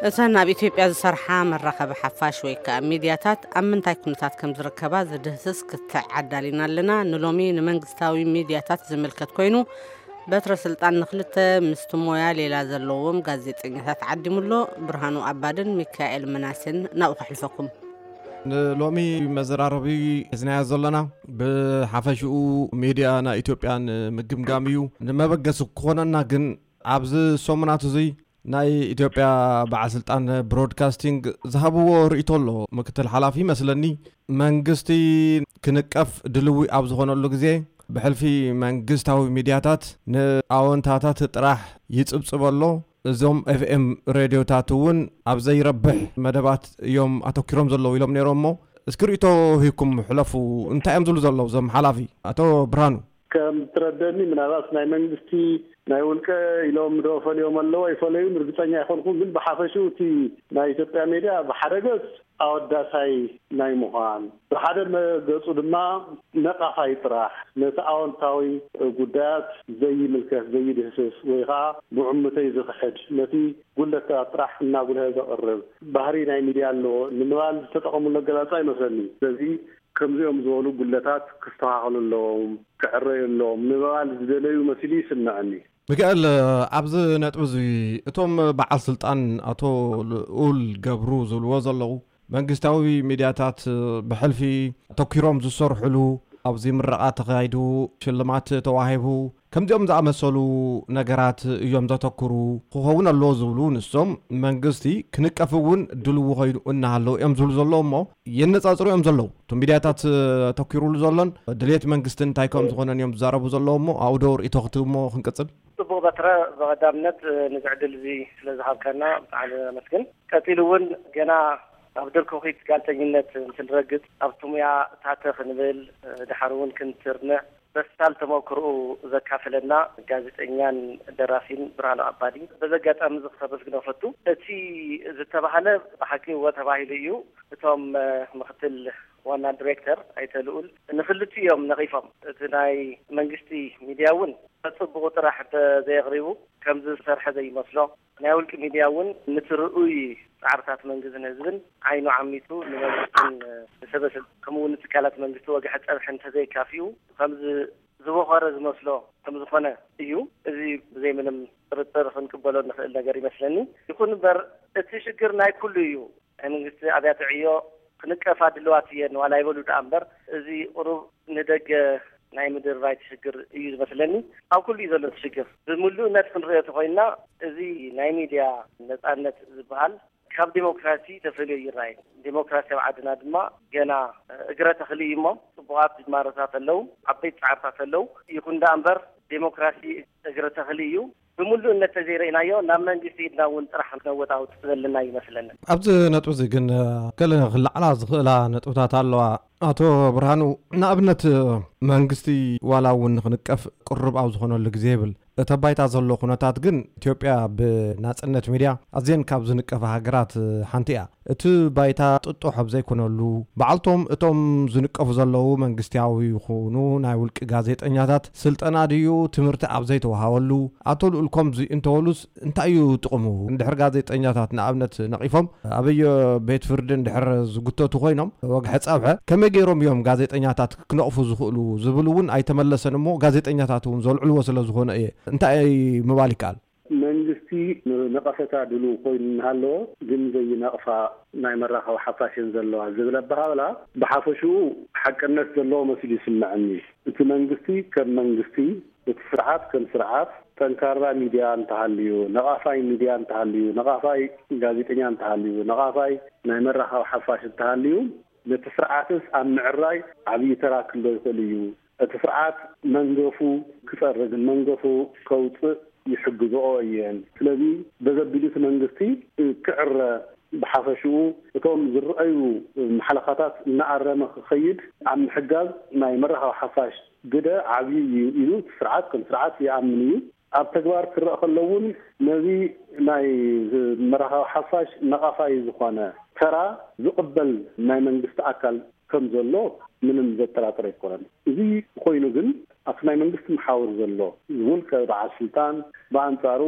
እተን ኣብ ኢትዮጵያ ዝሰርሓ መራኸቢ ሓፋሽ ወይ ከኣ ሚድያታት ኣብ ምንታይ ኩነታት ከም ዝርከባ ዝድህስስ ክትዕ ኣዳሊና ኣለና። ንሎሚ ንመንግስታዊ ሚድያታት ዝምልከት ኮይኑ፣ በትረ ስልጣን ንኽልተ ምስቲ ሞያ ሌላ ዘለዎም ጋዜጠኛታት ዓዲሙ ኣሎ። ብርሃኑ ኣባድን ሚካኤል ምናሴን ናብኡ ከሕልፈኩም። ንሎሚ መዘራረቢ ሒዝናዮ ዘለና ብሓፈሽኡ ሚድያ ናይ ኢትዮጵያ ንምግምጋም እዩ። ንመበገሲ ክኾነና ግን ኣብዚ ሰሙናት እዙይ ናይ ኢትዮጵያ በዓል ስልጣን ብሮድካስቲንግ ዝሃብዎ ርእይቶ ኣሎ። ምክትል ሓላፊ መስለኒ መንግስቲ ክንቀፍ ድልዊ ኣብ ዝኾነሉ ግዜ ብሕልፊ መንግስታዊ ሚድያታት ንኣወንታታት ጥራሕ ይጽብጽብ ኣሎ። እዞም ኤፍኤም ሬድዮታት እውን ኣብ ዘይረብሕ መደባት እዮም ኣተኪሮም ዘለዉ ኢሎም ነይሮም። እሞ እስኪ ርእይቶ ሂብኩም ሕለፉ። እንታይ እዮም ዝብሉ ዘለዉ እዞም ሓላፊ? ኣቶ ብርሃኑ። ከም ትረደኒ ምናልባት ናይ መንግስቲ ናይ ውልቀ ኢሎም ዶ ፈልዮም ኣለዉ ኣይፈለዩን ርግጸኛ ኣይኮንኩን፣ ግን ብሓፈሽኡ እቲ ናይ ኢትዮጵያ ሜድያ ብሓደ ገጽ ኣወዳሳይ ናይ ምዃን፣ ብሓደ መገጹ ድማ ነቃፋይ ጥራሕ፣ ነቲ ኣወንታዊ ጉዳያት ዘይምልከት ዘይድህስስ ወይ ከዓ ብዕምተይ ዝኽሕድ፣ ነቲ ጉድለታት ጥራሕ እናጉልሀ ዘቕርብ ባህሪ ናይ ሚድያ ኣለዎ ንምባል ዝተጠቐሙሉ ኣገላልጻ ይመስለኒ። ስለዚ ከምዚኦም ዝበሉ ጉድለታት ክስተኻኸሉ ኣለዎም፣ ክዕረዩ ኣለዎም ንምባል ዝደለዩ መሲሉ ይስምዐኒ። ሚካኤል፣ ኣብዚ ነጥቢ እዚ እቶም በዓል ስልጣን ኣቶ ልኡል ገብሩ ዝብልዎ ዘለዉ መንግስታዊ ሚድያታት ብሕልፊ ኣተኪሮም ዝሰርሕሉ፣ ኣብዚ ምረቓ ተኻይዱ፣ ሽልማት ተዋሂቡ፣ ከምዚኦም ዝኣመሰሉ ነገራት እዮም ዘተኩሩ ክኸውን ኣለዎ ዝብሉ ንሶም፣ መንግስቲ ክንቀፍ እውን ድልው ኮይኑ እናሃለዉ እዮም ዝብሉ ዘለዉ። እሞ የነጻጽሩ እዮም ዘለዉ። እቶም ሚድያታት ኣተኪሩሉ ዘሎን ድሌት መንግስቲ እንታይ ከም ዝኾነን እዮም ዝዛረቡ ዘለዉ። እሞ ኣብኡ ዶ ርእይቶ ክትህቡ እሞ ክንቅጽል? ጽቡቕ በትረ፣ ብቐዳምነት፣ እ፣ ነዚ ዕድል እዚ ስለ ዝሃብካና ብጣዕሚ ነመስግን። ቀጺሉ እውን ገና ኣብ ድርኩኺት ጋዜጠኝነት እንትንረግጽ ኣብቲ ሙያ ታተ ክንብል፣ እ፣ ድሓር እውን ክንትርንዕ በሳል ተመክሮኡ ዘካፈለና ጋዜጠኛን ደራሲን ብርሃኑ ኣባዲ በዚ ኣጋጣሚ እዚ ክተመስግኖ እፈቱ። እቲ ዝተባህለ ብሓቂ እወ ተባሂሉ እዩ። እቶም፣ እ፣ ምክትል ዋና ዲሬክተር ኣይተ ልኡል ንክልቲኡ እዮም ነቒፎም። እቲ ናይ መንግስቲ ሚድያ እውን ጽቡቕ ጥራሕ እንተዘየቕሪቡ ከም ዝሰርሐ ዘይመስሎ፣ ናይ ውልቂ ሚድያ እውን ነቲ ርኡይ ጻዕርታት መንግስትን ህዝብን ዓይኑ ዓሚቱ ንመንግስትን ንሰበ ስልጣን ከምኡ እውን ንትካላት መንግስቲ ወግሐ ጸብሒ እንተዘይካፊኡ ከም ዝ-፣ ዝበኾረ ዝመስሎ ከም ዝኾነ እዩ። እዚ ብዘይ ምንም ጥርጥር ክንቅበሎ እንኽእል ነገር ይመስለኒ። ይኹን እምበር እቲ ሽግር ናይ ኩሉ እዩ። ናይ መንግስቲ ኣብያተ ዕዮ ክንቀፋ ድልዋት እየን ዋላ ይበሉ ደኣ እምበር፣ እዚ ቁሩብ ንደገ ናይ ምድርባይ ሽግር እዩ ዝመስለኒ። ኣብ ኩሉ እዩ ዘሎ እቲ ሽግር። ብምሉእነት ክንሪኦ ተኾይንና፣ እዚ ናይ ሚድያ ነጻነት ዝበሃል ካብ ዴሞክራሲ ተፈልዮ ይረኣይ። ዴሞክራሲ ኣብ ዓድና ድማ ገና እግረ ተኽሊ እዩ እሞ፣ ጽቡቓት ጅማሮታት ኣለዉ፣ ዓበይቲ ጻዕርታት ኣለዉ። ይኹን ደኣ እምበር፣ ዴሞክራሲ እግረ ተኽሊ እዩ። ብምሉእነት ተዘይረኢናዮ፣ ናብ መንግስቲ ኢድና እውን ጥራሕ ክነወጣውጥ ዘለና ይመስለኒ። ኣብዚ ነጥቢ እዚ ግን፣ እ፣ ገለ ክለዓላ ዝኽእላ ነጥብታት ኣለዋ። ኣቶ ብርሃኑ፣ ንኣብነት፣ መንግስቲ ዋላ እውን ንኽንቀፍ ቅሩብ ኣብ ዝኾነሉ ግዜ ይብል። እቲ ኣብ ባይታ ዘሎ ኩነታት ግን፣ ኢትዮጵያ ብናጽነት ሚድያ ኣዝየን ካብ ዝንቀፋ ሃገራት ሓንቲ እያ። እቲ ባይታ ጥጡሕ ኣብ ዘይኮነሉ፣ በዓልቶም እቶም ዝንቀፉ ዘለዉ መንግስታዊ ይኹኑ ናይ ውልቂ ጋዜጠኛታት ስልጠና ድዩ ትምህርቲ ኣብ ዘይተዋሃበሉ፣ ኣቶ ልኡል ከምዚ እንተበሉስ እንታይ እዩ ጥቕሙ? እንድሕር ጋዜጠኛታት ንኣብነት ነቒፎም ኣበዮ ቤት ፍርዲ እንድሕር ዝጉተቱ ኮይኖም፣ ወግሐ ጸብሐ ከመይ ገይሮም እዮም ጋዜጠኛታት ክነቕፉ ዝኽእሉ ዝብል እውን ኣይተመለሰን እሞ፣ ጋዜጠኛታት እውን ዘልዕልዎ ስለ ዝኾነ እየ። እንታይ ምባል ይከኣል? መንግስቲ ንነቐፈታ ድሉው ኮይኑ እናሃለዎ ግን ዘይነቕፋ ናይ መራኸቢ ሓፋሽን ዘለዋ ዝብል ኣበሃህላ ብሓፈሽኡ ሓቅነት ዘለዎ መሲሉ ይስምዐኒ። እቲ መንግስቲ ከም መንግስቲ፣ እቲ ስርዓት ከም ስርዓት ጠንካራ ሚድያ እንተሃልዩ፣ ነቓፋይ ሚድያ እንተሃልዩ፣ ነቓፋይ ጋዜጠኛ እንተሃልዩ፣ ነቓፋይ ናይ መራኸቢ ሓፋሽ እንተሃልዩ፣ ነቲ ስርዓትስ ኣብ ምዕራይ ዓብዪ ተራ ክህሎ ይኽእል እዩ። እቲ ስርዓት መንገፉ ክጸርግን መንገፉ ከውጽእ ይሕግዝኦ እየን። ስለዚ በዘቢሉ እቲ መንግስቲ ክዕረ፣ ብሓፈሽኡ እቶም ዝረኣዩ መሓለኻታት እናኣረመ ክኸይድ ኣብ ምሕጋዝ ናይ መራኸቢ ሓፋሽ ግደ ዓብዪ እዩ ኢሉ እቲ ስርዓት ከም ስርዓት ይኣምን እዩ። ኣብ ተግባር ክረኣ ከሎ እውን ነዚ ናይ መራኸቢ ሓፋሽ ነቓፋይ ዝኾነ ተራ ዝቕበል ናይ መንግስቲ ኣካል ከም ዘሎ ምንም ዘጠራጥር ኣይኮነን። እዚ ኮይኑ ግን ኣብቲ ናይ መንግስቲ መሓውር ዘሎ ውልቀ በዓል ስልጣን ብኣንጻሩ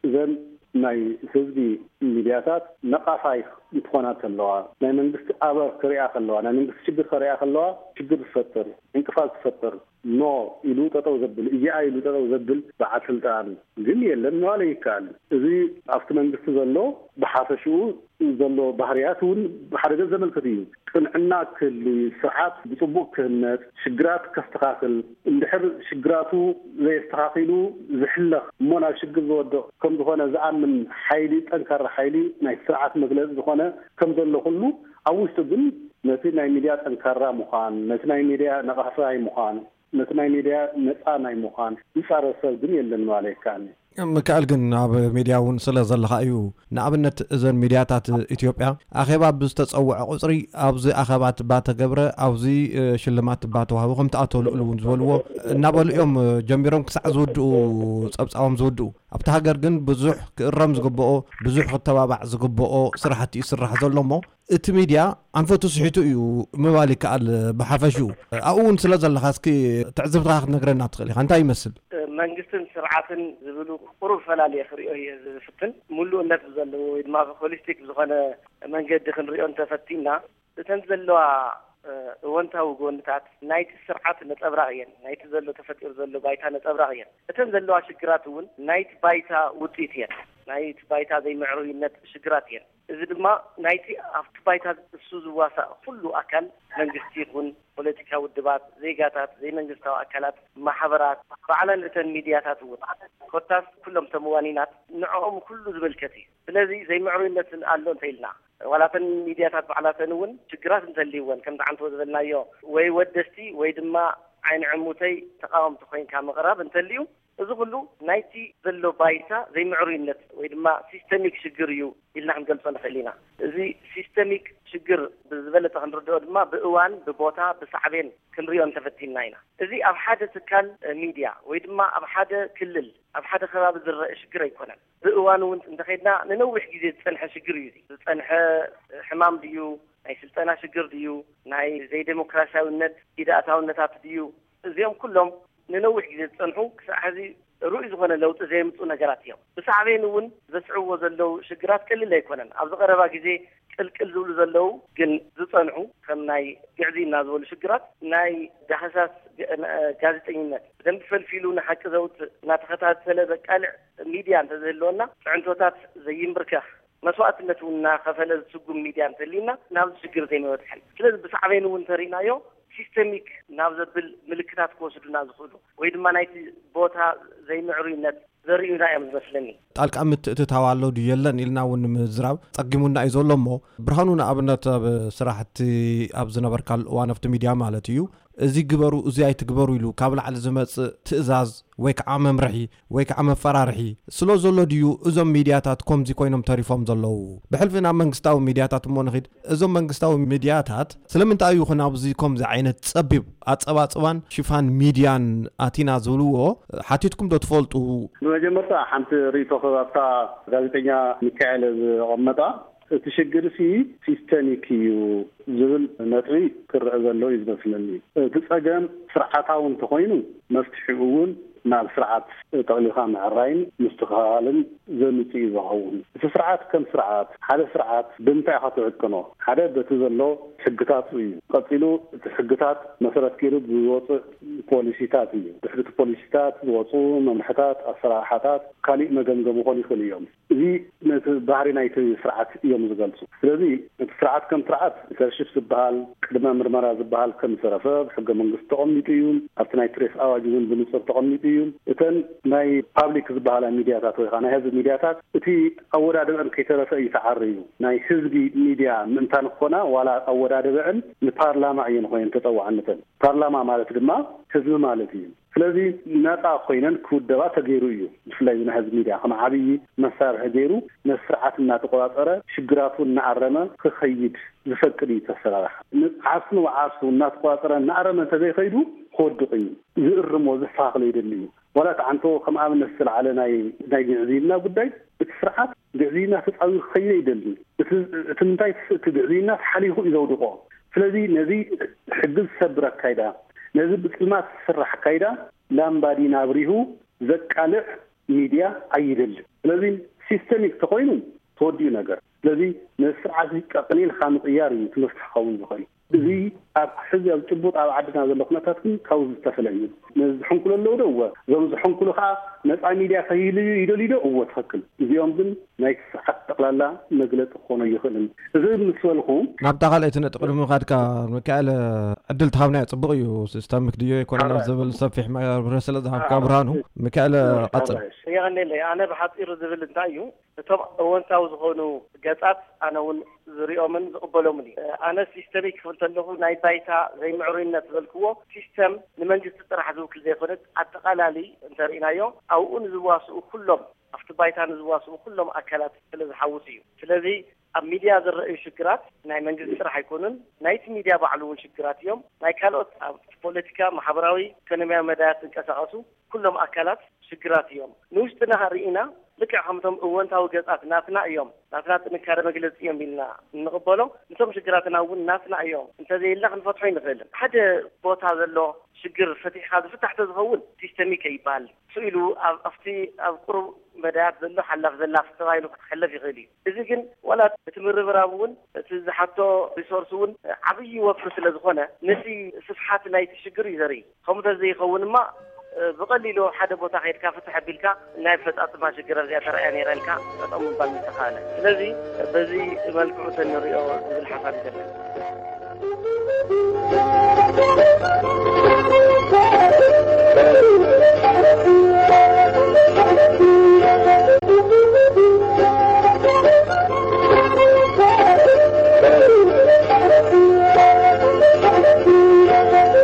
እዘን ናይ ህዝቢ ሚድያታት ነቓፋይ እንትኾና ከለዋ፣ ናይ መንግስቲ ኣበር ክሪኣ ከለዋ፣ ናይ መንግስቲ ሽግር ከሪኣ ከለዋ፣ ሽግር ዝፈጥር፣ ዕንቅፋት ዝፈጥር፣ ኖ ኢሉ ጠጠው ዘብል፣ እዚኣ ኢሉ ጠጠው ዘብል በዓል ስልጣን ግን የለን ምባል ይከኣል። እዚ ኣብቲ መንግስቲ ዘሎ ብሓፈሽኡ ዘሎ ባህርያት እውን ብሓደ ገጽ ዘመልክት እዩ። ቅንዕና ክህሊ፣ ስርዓት ብጽቡቕ ክህነጽ፣ ሽግራት ከስተኻኽል፣ እንድሕር ሽግራቱ ዘየስተኻኺሉ ዝሕለኽ እሞ ናብ ሽግር ዝወድቕ ከም ዝኾነ ዝኣምን ሓይሊ፣ ጠንካራ ሓይሊ ናይ ስርዓት መግለጺ ዝኾነ ከም ዘሎ ኩሉ፣ ኣብ ውሽጡ ግን ነቲ ናይ ሚድያ ጠንካራ ምዃን፣ ነቲ ናይ ሚድያ ነቓፋይ ምዃን፣ ነቲ ናይ ሚድያ ነጻ ናይ ምዃን ዝጻረር ሰብ ግን የለን ማለት ይከኣል። ምክኣል ግን ኣብ ሚድያ እውን ስለ ዘለኻ እዩ። ንኣብነት እዘን ሚድያታት ኢትዮጵያ ኣኼባ ብዝተጸውዐ ቁጽሪ ኣብዚ ኣኼባ ትባ ተገብረ፣ ኣብዚ ሽልማት ትባ ተዋህቦ ከም ትኣተወሉ እውን ዝበልዎ እናበሉ እዮም ጀሚሮም ክሳዕ ዝውድኡ፣ ጸብጻቦም ዝውድኡ። ኣብቲ ሃገር ግን ብዙሕ ክእረም ዝግብኦ፣ ብዙሕ ክተባባዕ ዝግብኦ ስራሕቲ ይስራሕ ዘሎ እሞ እቲ ሚድያ ኣንፈቱ ስሒቱ እዩ ምባል ይከኣል። ብሓፈሽኡ ኣብኡ እውን ስለ ዘለኻ እስኪ ትዕዝብትኻ ክትነግረና ትኽእል ኢኻ። እንታይ ይመስል? መንግስትን ስርዓትን ዝብሉ ቁሩብ ፈላልየ ክሪኦ እየ ዝፍትን። ሙሉእነት ብዘለዎ ወይ ድማ ሆሊስቲክ ብዝኾነ መንገዲ ክንሪኦ እንተፈቲና፣ እተን ዘለዋ እወንታዊ ጎንታት ናይቲ ስርዓት ነጸብራቕ እየን። ናይቲ ዘሎ ተፈጢሩ ዘሎ ባይታ ነጸብራቕ እየን። እተን ዘለዋ ሽግራት እውን ናይቲ ባይታ ውጽኢት እየን። ናይቲ ባይታ ዘይምዕሩይነት ሽግራት እየን። እዚ ድማ ናይቲ ኣብቲ ባይታ እሱ ዝዋሳእ ኩሉ ኣካል፣ መንግስቲ ይኹን ፖለቲካ ውድባት፣ ዜጋታት፣ ዘይመንግስታዊ ኣካላት፣ ማሕበራት፣ ባዕለን እተን ሚድያታት እውን ኮታስ ኩሎም ተመዋኒናት ንዕኦም ኩሉ ዝምልከት እዩ። ስለዚ ዘይምዕሩይነትን ኣሎ እንተ ኢልና፣ ዋላተን ሚድያታት ባዕላተን እውን ሽግራት እንተልይወን፣ ከምቲ ዓንቶ ዝበልናዮ፣ ወይ ወደስቲ ወይ ድማ ዓይኒ ዕሙተይ ተቃወምቲ ኮይንካ ምቕራብ እንተልዩ፣ እዚ ኩሉ ናይቲ ዘሎ ባይታ ዘይምዕሩይነት ወይ ድማ ሲስተሚክ ሽግር እዩ ኢልና ክንገልጾ ንኽእል ኢና። እዚ ሲስተሚክ ሽግር ብዝበለጸ ክንርድኦ ድማ ብእዋን፣ ብቦታ፣ ብሳዕቤን ክንሪኦ እንተፈቲንና ኢና። እዚ ኣብ ሓደ ትካል ሚድያ ወይ ድማ ኣብ ሓደ ክልል፣ ኣብ ሓደ ከባቢ ዝረአ ሽግር ኣይኮነን። ብእዋኑ እውን እንተኸድና ንነዊሕ ግዜ ዝጸንሐ ሽግር እዩ። እዚ ዝጸንሐ ሕማም ድዩ፣ ናይ ስልጠና ሽግር ድዩ፣ ናይ ዘይዴሞክራሲያዊነት ኢዳእታውነታት ድዩ፣ እዚኦም ኩሎም ንነዊሕ ግዜ ዝጸንሑ፣ ክሳዕ ሕዚ ርኡይ ዝኾነ ለውጢ ዘየምጹ ነገራት እዮም። ብሳዕቤን እውን ዘስዕብዎ ዘለዉ ሽግራት ቀሊል ኣይኮነን። ኣብዚ ቀረባ ግዜ ቅልቅል ዝብሉ ዘለዉ ግን ዝጸንሑ፣ ከም ናይ ግዕዝይና ዝበሉ ሽግራት፣ ናይ ዳህሳስ ጋዜጠኝነት ብደንቢ ፈልፊሉ ንሓቂ ዘውጽእ፣ እናተኸታተለ ዘቃልዕ ሚድያ እንተዝህልወና፣ ፅዕንቶታት ዘይምብርከኽ፣ መስዋእትነት እውን እናኸፈለ ዝስጉም ሚድያ እንተልዩና፣ ናብዚ ሽግር ዘይምበፅሐን። ስለዚ ብሳዕቤን እውን እንተሪእናዮ፣ ሲስተሚክ ናብ ዘብል ምልክታት ክወስዱና ዝኽእሉ ወይ ድማ ናይቲ ቦታ ዘይምዕሩይነት ዘርእዩና እዮም ዝመስለኒ። ጣልቃ ምትእትታው ኣሎ ድዩ የለን ኢልና እውን ንምዝራብ ጸጊሙና እዩ ዘሎ እሞ፣ ብርሃኑ፣ ንኣብነት ኣብ ስራሕቲ ኣብ ዝነበርካሉ እዋን ኣብቲ ሚድያ ማለት እዩ፣ እዚ ግበሩ እዚ ኣይትግበሩ ኢሉ ካብ ላዕሊ ዝመጽእ ትእዛዝ ወይ ከዓ መምርሒ ወይ ከዓ መፈራርሒ ስለ ዘሎ ድዩ እዞም ሚድያታት ከምዚ ኮይኖም ተሪፎም ዘለዉ? ብሕልፊ ናብ መንግስታዊ ሚድያታት እሞ ንኺድ። እዞም መንግስታዊ ሚድያታት ስለምንታይ እዩ ኹን ኣብዚ ከምዚ ዓይነት ጸቢብ ኣጸባጽባን ሽፋን ሚድያን ኣቲና ዝብልዎ ሓቲትኩም ዶ ትፈልጡ? ብመጀመርታ ሓንቲ ርእይቶ ክህብ ኣብታ ጋዜጠኛ ሚካኤል ዘቐመጣ። እቲ ሽግርሲ ሲስተሚክ እዩ ዝብል ነጥቢ ክረአ ዘሎ እዩ ዝመስለኒ። እቲ ጸገም ስርዓታዊ እንተኾይኑ መፍትሒኡ እውን ናብ ስርዓት ጠቕሊልካ ምዕራይን ምስትኽኻልን ዘምጽእ እዩ ዝኸውን። እቲ ስርዓት ከም ስርዓት፣ ሓደ ስርዓት ብምንታይ ኢኻ ትዕቅኖ? ሓደ በቲ ዘሎ ሕግታቱ እዩ። ቀጺሉ እቲ ሕግታት መሰረት ገይሩ ዝወፅእ ፖሊሲታት እዩ። ድሕሪ እቲ ፖሊሲታት ዝወፁ መምርሕታት፣ ኣሰራርሓታት ካሊእ መገምገሚ ክኾኑ ይኽእሉ እዮም። እዚ ነቲ ባህሪ ናይቲ ስርዓት እዮም ዝገልፁ። ስለዚ እቲ ስርዓት ከም ስርዓት ሊደርሺፕ ዝበሃል፣ ቅድመ ምርመራ ዝበሃል ከም ዝተረፈ ብሕገ መንግስቲ ተቐሚጡ እዩ። ኣብቲ ናይ ፕሬስ ኣዋጅ እውን ብንፁር ተቐሚጡ እዩ። እተን ናይ ፓብሊክ ዝበሃላ ሚድያታት ወይ ከዓ ናይ ህዝቢ ሚድያታት እቲ ኣወዳድበን ከይተረፈ እዩ ተዓርዩ። ናይ ህዝቢ ሚድያ ምእንታን ክኾና ዋላ ኣወዳድበአን ንፓርላማ እየን ኮይነን ተፀዋዕነተን። ፓርላማ ማለት ድማ ህዝቢ ማለት እዩ። ስለዚ ነፃ ኮይነን ክውደባ ተገይሩ እዩ። ብፍላይ እዚ ናይ ህዝቢ ሚድያ ከም ዓብዪ መሳርሒ ገይሩ ነቲ ስርዓት እናተቆፃፀረ ሽግራቱ እናኣረመ ክኸይድ ዝፈቅድ እዩ ተሰራርሓ። ዓርሱ ንዓርሱ እናተቆፃፀረ እናኣረመ እንተዘይኸይዱ ክወድቕ እዩ። ዝእርሞ ዘስተኻኽሎ ይደሊ እዩ። ዋላ እቲ ዓንቶ ከም ኣብነት ዝተልዓለ ናይ ናይ ግዕዝይና ጉዳይ፣ እቲ ስርዓት ግዕዝይና ተፃዊሩ ክኸይድ ኣይደልን። እቲ እቲ ምንታይ እቲ ግዕዝይና ተሓሊኹ እዩ ዘውድቖ። ስለዚ ነዚ ሕጊ ዝሰብር ኣካይዳ፣ ነዚ ብፅልማት ዝስራሕ ኣካይዳ ላምባዲና ኣብሪሁ ዘቃልዕ ሚድያ ኣይደልን። ስለዚ ሲስተሚክ ተኮይኑ ተወዲኡ ነገር። ስለዚ ነዚ ስርዓት እዚ ቀቕሊልካ ምቕያር እዩ እቲ መፍትሒ ክኸውን ዝኽእል። እዚ ኣብ ሕዚ ኣብ ጭቡጥ ኣብ ዓድና ዘሎ ኩነታት ግን ካብኡ ዝተፈለ እዩ። ነዚ ዝሕንኩሉ ኣለዉ ዶ? እወ። እዞም ዝሕንኩሉ ከዓ ነፃ ሚድያ ከይህልዩ ይደልዩ ዶ? እወ፣ ትኽክል። እዚኦም ግን ናይቲ ስርዓት ጠቕላላ መግለፂ ክኾኖ ይኽእልን። እዚ ምስ በልኩ ናብታ ካልኣይቲ ነጥቢ ንምኻድካ፣ ሚካኤል፣ ዕድል ተሃብናዮ ጽቡቕ እዩ። ሲስተሚክ ድዮ ኣይኮነን ኣብ ዝብል ሰፊሕ ማብርሂ ስለ ዝሃብካ፣ ብርሃኑ፣ ሚካኤል፣ ቀጽል። የቐንየለይ። ኣነ ብሓጺሩ ዝብል እንታይ እዩ፣ እቶም እወንታዊ ዝኾኑ ገጻት ኣነ እውን ዝሪኦምን ዝቕበሎምን እዩ። ኣነ ሲስተሚክ ክብል ከለኹ ናይ ባይታ ዘይምዕሩይነት ዝበልክዎ፣ ሲስተም ንመንግስቲ ጥራሕ ዝውክል ዘይኮነስ ኣጠቓላሊ እንተርኢናዮ ኣብኡ ንዝዋስኡ ኩሎም፣ ኣብቲ ባይታ ንዝዋስኡ ኩሎም ኣካላት ስለ ዝሓውስ እዩ። ስለዚ ኣብ ሚድያ ዝረኣዩ ሽግራት ናይ መንግስቲ ጥራሕ ኣይኮኑን፣ ናይቲ ሚድያ ባዕሉ እውን ሽግራት እዮም። ናይ ካልኦት ኣብ ፖለቲካ፣ ማሕበራዊ፣ ኢኮኖሚያዊ መዳያት ዝንቀሳቐሱ ኩሎም ኣካላት ሽግራት እዮም። ንውሽጥና ርኢና ልክዕ ከምቶም እወንታዊ ገጻት ናትና እዮም፣ ናትና ጥንካረ መግለጺ እዮም ኢልና እንቕበሎ፣ ንቶም ሽግራትና እውን ናትና እዮም እንተዘይልና ክንፈትሖ ይንኽእልን። ሓደ ቦታ ዘሎ ሽግር ፈቲሕካ ዝፍታሕ ተዝኸውን ሲስተሚክ ይበሃል። ስኢሉ ኣብ ኣብቲ ኣብ ቁሩብ መዳያት ዘሎ ሓላፍ ዘላፍ ተባሂሉ ክሕለፍ ይኽእል እዩ። እዚ ግን ዋላ እቲ ምርብራብ እውን እቲ ዝሓቶ ሪሶርስ እውን ዓብዪ ወፍሪ ስለ ዝኾነ ነቲ ስፍሓት ናይቲ ሽግር እዩ ዘርኢ። ከምኡ ተዘይኸውን ድማ ብቐሊሉ ሓደ ቦታ ከይድካ ፍትሕ ኣቢልካ ናይ ኣፈፃፅማ ሽግር ኣብዚኣ ተረኣያ ነይራ ኢልካ ጠጠው ምባል ምተኻእለ። ስለዚ በዚ መልክዑ ተንሪኦ ዝብል ሓሳብ ይዘለን።